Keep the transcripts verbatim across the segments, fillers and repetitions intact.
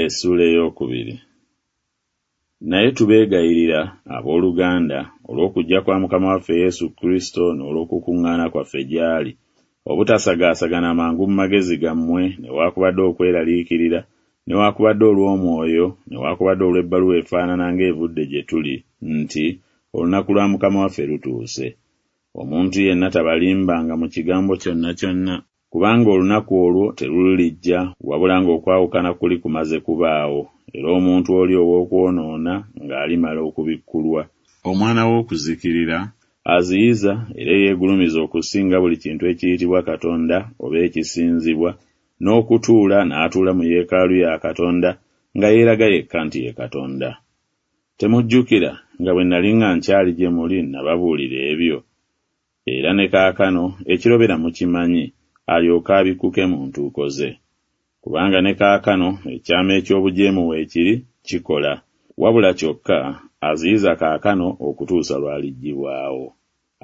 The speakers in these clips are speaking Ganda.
Essuula ey'okubiri. Naye tubeegayirira, abooluganda, olw'okujja kwa Mukama waffe Yesu Kristo n'olw'okukuŋŋaana kwaffe gy'ali, obutasagaasagana mangu mu magezi gammwe, newaakubadde okweraliikirira, newaakubadde olw'omwoyo, newaakubadde olw'ebbaluwa efaanana ng'evudde gye tuli, nti olunaku lwa Mukama waffe lutuuse. Omuntu yenna tabalimbanga mu kigambo kyonna kyonna, kubanga olunaku olwo terulijja wabula ng'okwawukana kuli kumaze kubaawo, era omuntu oli ow'okwonoona ng'alimala okubikkulwa, omwana w'okuzikirira, aziyiza era eyeegulumiza okusinga buli kintu ekiyitibwa Katonda oba ekisinzibwa, n'okutuula n'atuula mu yeekaalu ya Katonda nga yeeraga yekka nti ye Katonda. Temujjukira nga bwe nali nga nkyali gye muli nababuulira ebyo? Era ne kaakano ekirobera mukimanyi, alyoke abikkuke mu ntuuko ze. Kubanga ne kaakano ekyama eky'obujeemu weekiri kikola, wabula kyokka aziyiza kaakano okutuusa lw'aliggyibwawo.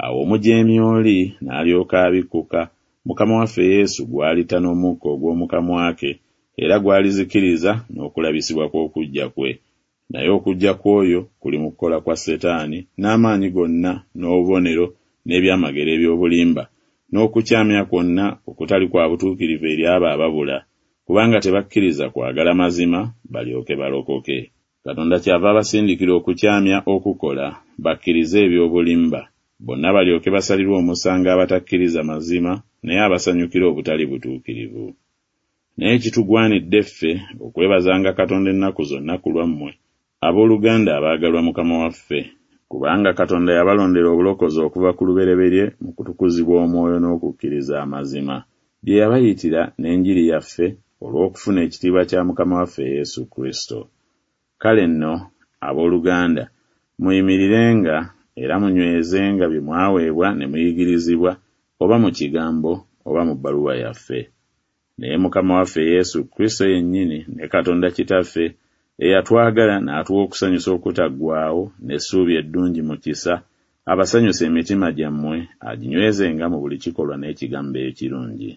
Awo omujeemi oli n'alyoka abikkuka, Mukama waffe Yesu gw'alitta n'omukka ogw'omu kamwa ke, era gw'alizikiriza n'okulabisibwa kw'okujja kwe. Naye okujja kw'oyo kuli mu kukola kwa Setaani n'amaanyi gonna n'obubonero n'ebyamagero eby'obulimba, n'okukyamya kwonna okutali kwa butuukirivu eri abo ababula, kubanga tebakkiriza kwagala mazima balyoke balokoke. Katonda kyava abasindikira okukyamya okukola, bakkirize eby'obulimba, bonna balyoke basalirwe omusango abatakkiriza mazima, naye abasanyukira obutali butuukirivu. Naye kitugwanidde ffe okwebazanga Katonda ennaku zonna ku lwammwe, abooluganda abaagalwa Mukama waffe, kubanga Katonda yabalondera obulokozi okuva ku lubereberye mu kutukuzibwa Omwoyo n'okukkiriza amazima, bye yabayitira n'enjiri yaffe olw'okufuna ekitiibwa kya Mukama waffe Yesu Kristo. Kale nno, abooluganda, muyimirirenga era munywezenga bye mwaweebwa ne muyigirizibwa, oba mu kigambo oba mu bbaluwa yaffe. Naye Mukama waffe Yesu Kristo yennyini ne Katonda Kitaffe, eyatwagala n'atuwa okusanyusa okutaggwaawo n'essuubi eddungi mu kisa, abasanyuse emitima gyammwe, aginywezenga mu buli kikolwa n'ekigambo ekirungi.